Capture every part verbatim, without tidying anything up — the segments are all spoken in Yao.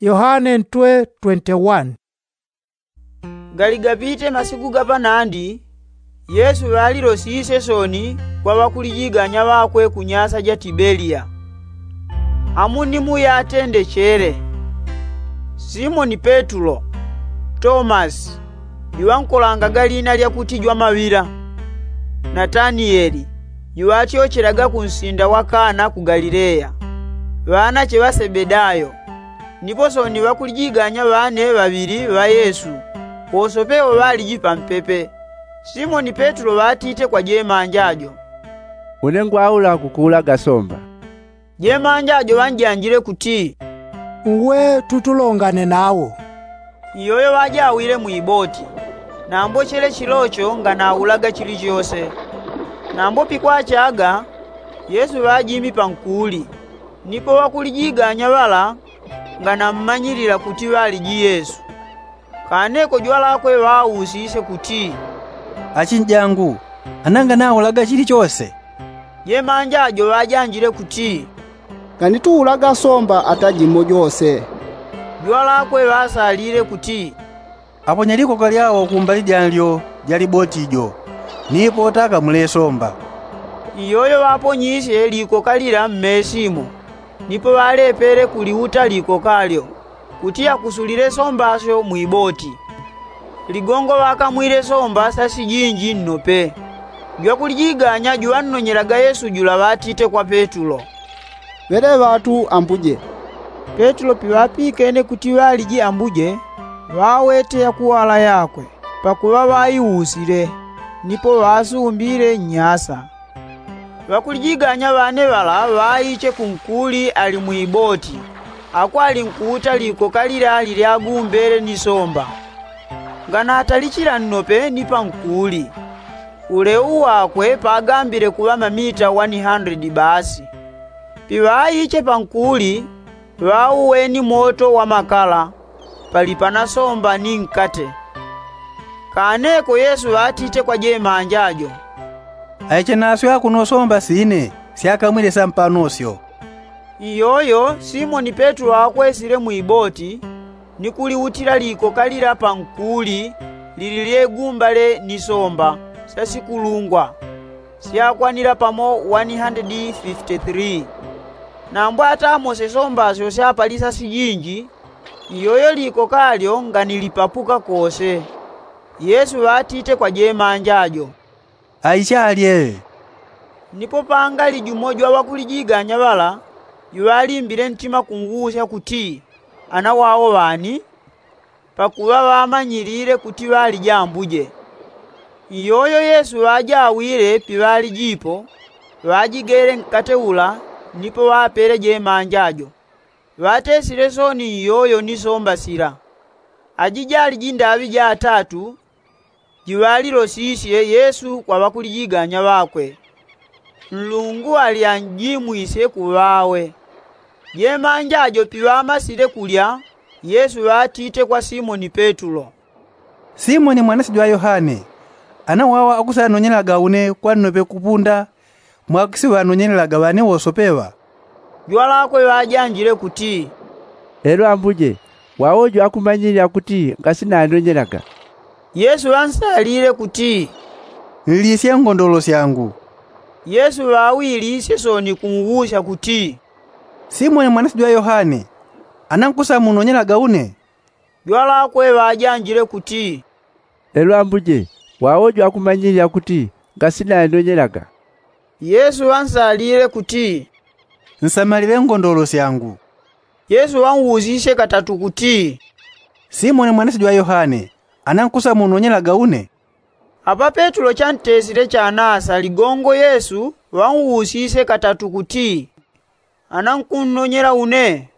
Yohane ntwe twenty-one. Galigapite masiku gapanandi, yesu ŵalilosisye soni kwa ŵakulijiganya ŵakwe ku nyasa ja tibeliya. Amunimu yatendechele simoni petulo, tomasi juŵankolangaga lina lyakuti jwamaŵila, nataniyeli juŵatyochelaga kunsinda wa kana ku galileya, ŵanache ŵa sebedayo. Nipo soni ŵakulijiganya ŵane ŵaŵili ŵa yesu, wosope wo ŵaliji pampepe. Simoni petulo ŵatite kwa jemanja jo, une ngwaula kukuulaga somba. Jemanja jo ŵanjanjile kuti, uwe tutulongane nawo. Iyoyo ŵajawile mwiboti, nambo chele chilocho nganaulaga chilichose. Nambo pikwachaga, yesu ŵajimi pankuli. Nipo ŵakulijiganya ŵala nganammanyilila kuti ŵaliji yesu. Kaneko jwalakwe ŵausisye kuti, achinjangu, ana nganaulaga chilichose? Jemanja jo ŵajanjile kuti, nganituulaga somba ata jimo jose. Jwalakwe ŵasalile kuti, aponya likoka lyao kumbali janlyo ja liboti jo, nipo takamule somba. Iyoyo ŵaponyisye likoka lila mmesimo, nipo ŵalepele kuliuta likoka lyo, kuti akusulile somba syo mwiboti. Ligongo ŵakamwile somba sasijinji nnope. Jwakulijiganya juŵannonyelaga yesu jula ŵatite kwa petulo, ŵele ŵatu ambuje. Petulo piŵapikene kuti ŵaliji ambuje, ŵawete yakuwala yakwe, pakuŵa ŵaiusile, nipo ŵasumbile nnyasa. Ŵakulijiganya ŵane ŵala ŵaiche kunkuli ali mwiboti, ako alinkuuta likoka lila lilyagumbele ni somba. Nganatalichila nnope ni pankuli. Uleu wakwe pagambile kuŵa mamita wani handredi basi. Piŵaiche pankuli, ŵauweni moto wa makala, pali pana somba ni nkate. Kaneko yesu ŵatite kwa jemanja jo, aiche nasyo akuno somba sine syakamwile sampano syo. Iyoyo simoni petulo akwesile mwiboti, ni kuliutila likoka lila pankuli lili lyegumbale ni somba syasikulungwa, syakwanila pamo wani handredi fifti three. Nambo atamose somba syo syapalisa sijinji, iyoyo likoka lyo nganilipapuka kose. Yesu ŵatite kwa jemanja jo, aichalye. Nipo pangali jumo jwa ŵakulijiganya ŵala juŵalimbile ntima kunguusya kuti, ana wao ŵani? Pakuŵa ŵamanyilile kuti ŵaliji ambuje. Iyoyo yesu ŵajawile piŵaliji ipo, ŵajigele nkate ula, nipo ŵapele jemanja jo. Ŵatesile soni iyoyo ni somba sila. Aji jali jindaŵi ja atatu jiŵalilosisye yesu kwa ŵakulijiganya ŵakwe. Nlungu ali anjimwisye kuŵawe. Jemanja jo piŵamasile kulya, yesu ŵatite kwa simoni petulo, simoni mwanasye jwa yohane, ana wao akusanonyelaga une kwa nnope kupunda mwakisiŵanonyelaga ŵane wosope ŵa? Jwalakwe ŵajanjile kuti, lelo ambuje, wao jo akumanyilila kuti ngasinanonyelaga. Yesu ŵansalile kuti, nlisye ngondolo syangu. Yesu ŵawilisye soni kunguusya kuti, simoni mwanasye jwa yohane, ana nkusamunonyelaga une? Jwalakwe ŵajanjile kuti, lelo ambuje, wao jo akumanyilila kuti ngasinanonyelaga. Yesu ŵansalile kuti, nsamalile ngondolo syangu. Yesu ŵanwusisye katatu kuti, simoni mwanasye jwa yohane, ana nkusamunonyelaga une? Apa petulo chantesile chanasa ligongo yesu ŵanwusisye katatu kuti, ana nkunnonyela une?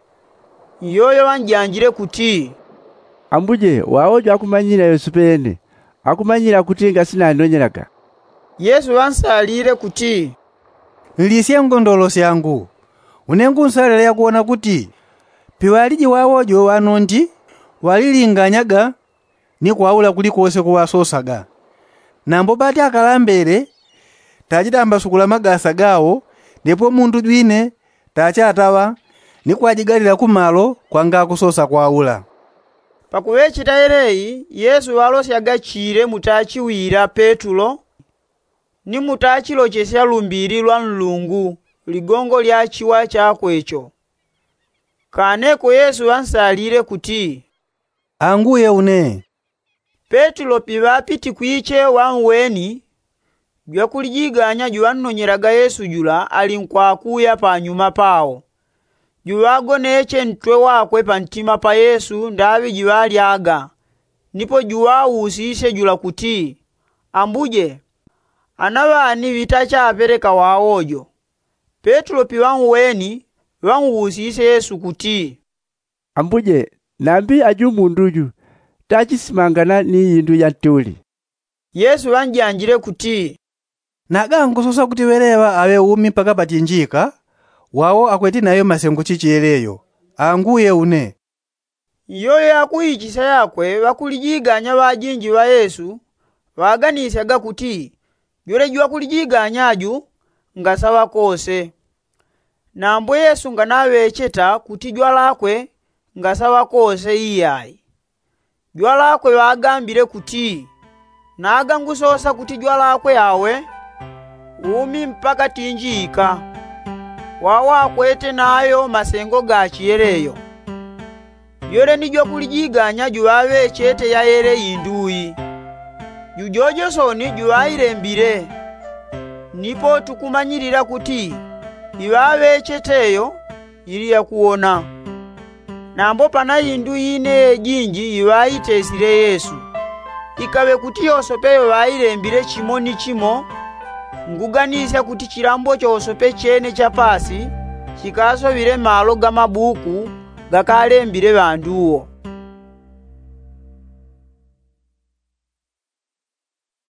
Iyoyo ŵanjanjile kuti, ambuje, wao jo akumanyilila yosepe yene, akumanyilila kuti ngasinanonyelaga. Yesu ŵansalile kuti, nlisye ngondolo syangu. Une ngunsalila yakuwona kuti piŵaliji wao jo ŵanondi ŵalilinganyaga ni kwaula kulikose kuŵasosaga. Nambo ŵati akalambele tachitambasukula magasa gao, ndipo mundu jwine tachataŵa, ni kwajigalila kumalo kwangakusosa kwaula. Pakuŵecheta yeleyi yesu ŵalosyaga chile mutachiwila petulo ni mutachilochesya lumbili lwa nlungu ligongo lya chiwa chakwe cho. Kaneko yesu ŵansalile kuti, anguye une. Petulo piŵapitikwiche ŵanweni jwakulijiganya juŵannonyelaga yesu jula ali nkwakuya panyuma pao. Juŵagoneche ntwe wakwe pantima pa yesu ndaŵi jiŵalyaga. Nipo juŵausisye jula kuti, ambuje, ana ŵani ŵitachapeleka wawo jo? Petulo piŵanweni ŵanwusisye yesu kuti, ambuje, nambi aju mundu ju tachisimangana ni indu ya ntuli? Yesu ŵanjanjile kuti, nagangusosa kuti ŵeleŵa aŵe umi mpaka patinjika? Wawo akweti nayo masengo chichi yeleyo. Anguye une. Iyoyo yakuichisya yakwe ŵakulijiganya ŵajinji ŵa yesu ŵaganisyaga kuti jwele jwakulijiganya ju ngasaŵa kose. Nambo yesu nganaŵecheta kuti jwalakwe ngasaŵa kose iyai. Jwalakwe ŵagambile kuti, nagangusosa kuti jwalakwe awe umi mpaka tinjika. Wawo akwete nayo masengo ga chiyeleyo. Jwele ni jwakulijiganya juŵaŵechete yayele indu ii. Jujojo soni juŵailembile. Nipo tukumanyilila kuti iŵaŵechete yo ili yakuwona. Nambo pana indu ine yejinji iŵaitesile yesu. Ikaŵe kuti yosope yoŵailembile chimo ni chimo, nguganisya kuti chilambo chosope chene cha paasi chikasoŵile malo ga mabuku gakalembile ŵandu wo.